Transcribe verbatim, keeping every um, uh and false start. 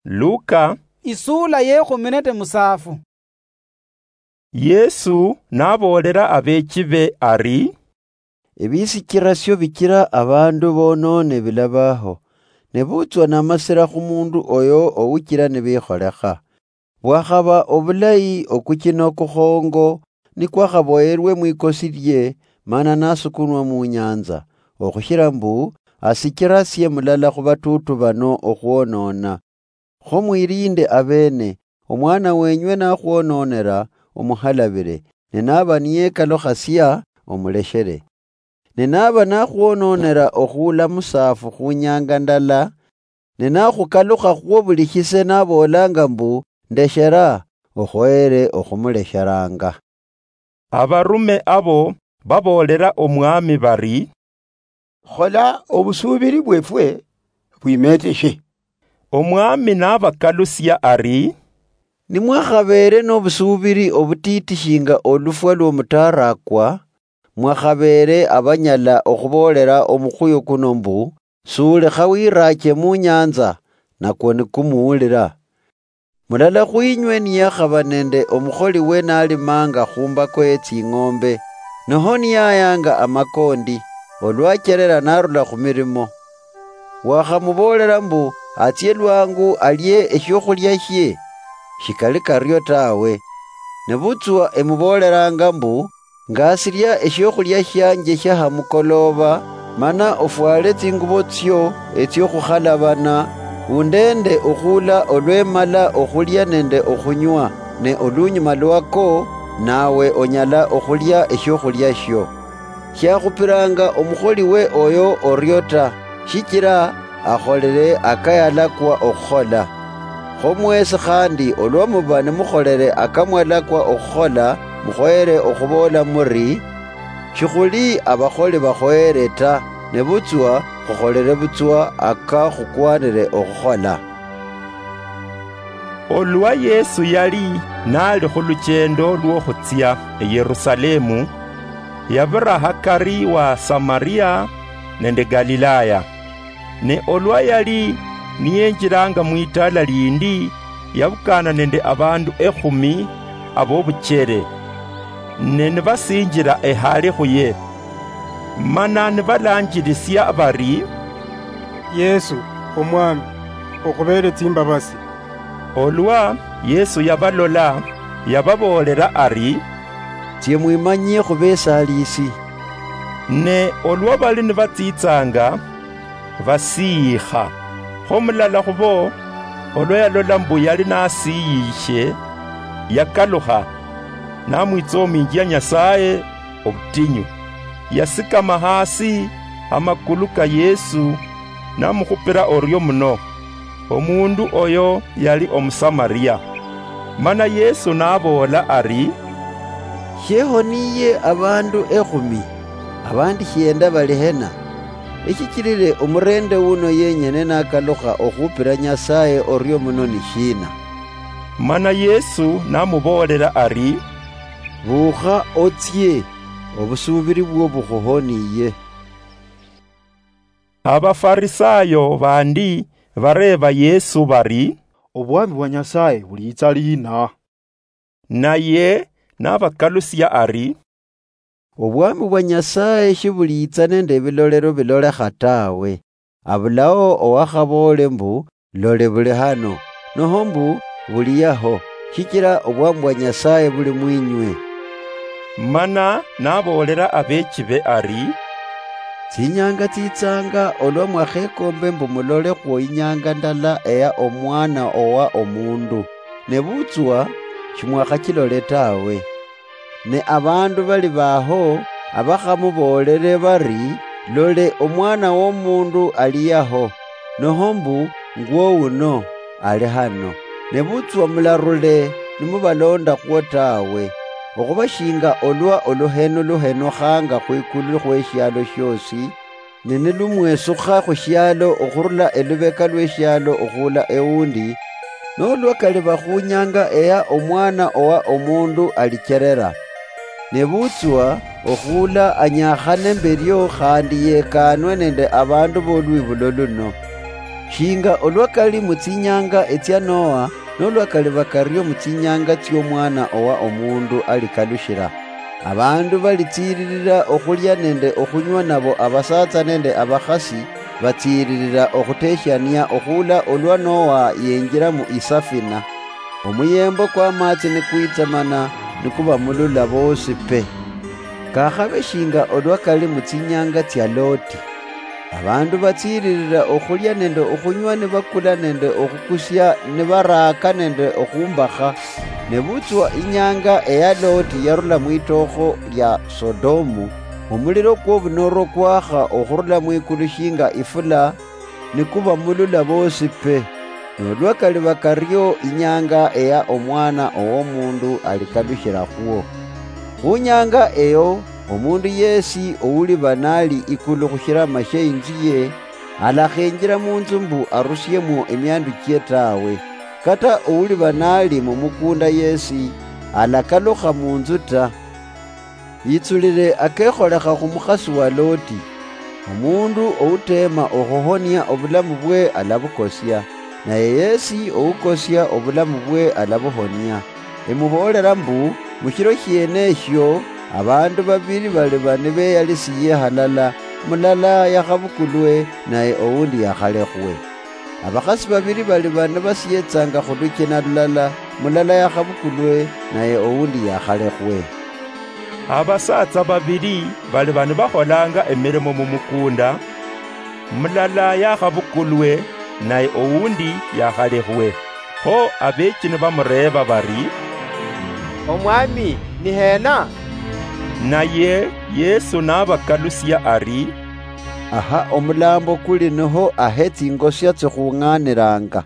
Luka, isuula yekhumi nende musaafu. Yesu naboolera abeechibe ari, ebisichirasio bichira abandu bonoone bilabaho, nebutswa namasira khumundu oyo ouchira nibikholekha. Bwakhaba obulayi okuchina okukhongo nikwakhaboyerwe mwikosi lie, mana nasukunwa munyanza, okhushira mbu asichirasie mulala khubatutu bano okhwonona. Kho mwilinde abeene, omwana wenywe nakhwononera, omukhalabire, ne naba niyekalukhasia, omuleshere. Ne naba nakhwononera okhuula musaafu khunyanga ndala, ne nakhukalukha khwo buli shise naboolanga mbu, ndeshera, okhoyere okhumulesheranga. Abarume abo baboolera omwami bari, khola obusuubiri bwefwe bwimeteshe. Omwami nabakalusia ari, nimwakhabeere nobusuubiri obutiiti shinga olufwa lwomutaarakwa, mwakhabeere abanyala okhuboolera omukhuyu kuno mbu, sulekha wiraache munyanza, nakwo nikumuwulira. Mulala khwinywe niyakhaba nende omukholiwe nalimanga khumbako yetsing'ombe, noho niyayanga amakondi, olwacherera narula khumirimo. Wakhamuboolera mbu atsie lwangu alie eshiokhulia shie? Shikali kario tawe. Nebutswa emubooleranga mbu, ngasilia eshiokhulia shianje shia hamukoloba, mana ofwale tsingubo tsio etsiokhukhalabana, undeende okhuula olwemala okhulia nende okhunywa, ne olunyuma lwako, nawe onyala okhulia eshiokhulia shio. Shiakhupiranga omukholiwe oyo orio ta, shichira akholere akayalakwa okhukhola. Kho mwesi khandi olwa muba nimukholere akamwalakwa okhukhola, mukhoyere okhuboola muri, shikhuli abakholi bakhoyere ta, nebutswa khukholere butswa aka khukwanire okhukhola. Olwa Yesu yali nali khuluchendo lwokhutsia eYerusalemu, yabira hakari wa Samaria nende Galilaya. Ne olwa yali niyenjilanga mwitaala lindi, yabukana nende abandu ekhumi abobuchere, ne nibasinjila ehale khuye, mana nibalanjilisia bari, Yesu, Omwami, okhubeele tsimbabasi. Olwa Yesu yabalola, yababoolela ari, tsie mwimanyie khubesaliisi. Ne olwa bali nibatsitsanga, basiikha. Kho mulala khubo, olwa yalola mbu yali nasiiyishe, yakalukha, namwitsoominjia Nyasaye obutinyu. Yasikama hasi amakulu ka Yesu, namukhupira orio muno. Omundu oyo yali Omusamaria. Mana Yesu naboola ari, shehoniye abandu ekhumi, abandi shienda bali hena? Eshichilile omurende uno yenyene nakalukha okhupira Nyasaye orio muno ni shina? Mana Yesu namuboolela ari, buukha otsie, obusuubiri bwo bukhuhoniye. Abafarisayo bandi bareeba Yesu bari, obwami bwa Nyasaye buliitsa liina? Naye nabakalusia ari, obwami bwa Nyasaye shibuliitsa nende ebilolero bilolekha tawe. Abulao owakhaboole mbu, lole buli hano, noho mbu, buli yaho, shichira obwami bwa Nyasaye buli mwinywe. Mana naboolela abeechibe ari, tsinyanga tsitsanga olwa mwakhekombe mbu mulolekhwo inyanga ndala eya Omwana owa Omundu, nebutswa shimwakhachilole tawe. Ne abandu bali baho abakhamuboolele bari, lole, Omwana wOmundu ali yaho, noho mbu, ngwo uno, ali hano. Nebutswa mularule nimubalondakhwo tawe, okhuba shinga olwa oluhenu luhenukhanga khwikulu khweshialo shiosi, ne nilumwesukha khushialo okhurula elubeka lweshialo okhuula ewundi, nolwa kali bakhunyanga eya Omwana owa Omundu alicherera. Nebutswa okhuula anyakhane mberio khandi yekanwe nende abandu bolwibulo luno. Shinga olwa kali mu tsinyanga etsia Noa, nolwa kaliba kario mu tsinyanga tsiomwana owa omundu alikalushira. Abandu balitsiiririra okhulia nende okhunywa nabo abasatsa nende abakhasi batsiiririra okhuteshiania okhula olwa Noa yenjira mu isafina. Omuyembo kwamatsi nikwitsamana nikubamulula bosi pe. Kakhabe shinga olwa kali mu tsinyanga tsia Loti. Abandu batsiiririra okhulia nende okhunywa nibakula nende okhukusia nibaraaka nende okhumbakha. Nebutswa inyanga eya Loti yarula mwitokho lia Sodomu, omuliro kwobunoro kwakha okhurula mwikulu shinga ifula, nikubamulula bosi pe. Nolwa kaliba kario inyanga eya omwana owomundu alikalushira khwo. Khunyanga eyo, omundu yesi ouliba nali ikulu khushirama shie inzu ye, alakhenjira munzu mbu arusiemwo emiandu chie tawe. Kata ouliba nali mumukunda yesi, alakalukha munzu ta. Yitsulire akekholekha khu mukhasi wa Loti. Omundu outeema okhuhonia obulamu bwe alabukosia, naye yesi oukosia obulamu bwe alabuhonia. Emuboolera mbu, mushiro shiene eshio, abandu babili baliba nibeyalisiye halala, mulala yakhabukulwe, naye oundi yakhalekhwe. Abakhasi babili baliba nibasietsanga khulukina lulala, mulala yakhabukulwe, naye oundi yakhalekhwe. Abasaatsa babili baliba nibakholanga emirimo mumukunda, mulala yakhabukulwe, naye oundi yakhalekhwe. Kho abeechi nibamureeba bari, "Omwami, ni hena?" Naye Yesu nabakalusia ari, "Aha omulambo kuli niho ahe tsingosia tsikhung'aniranga."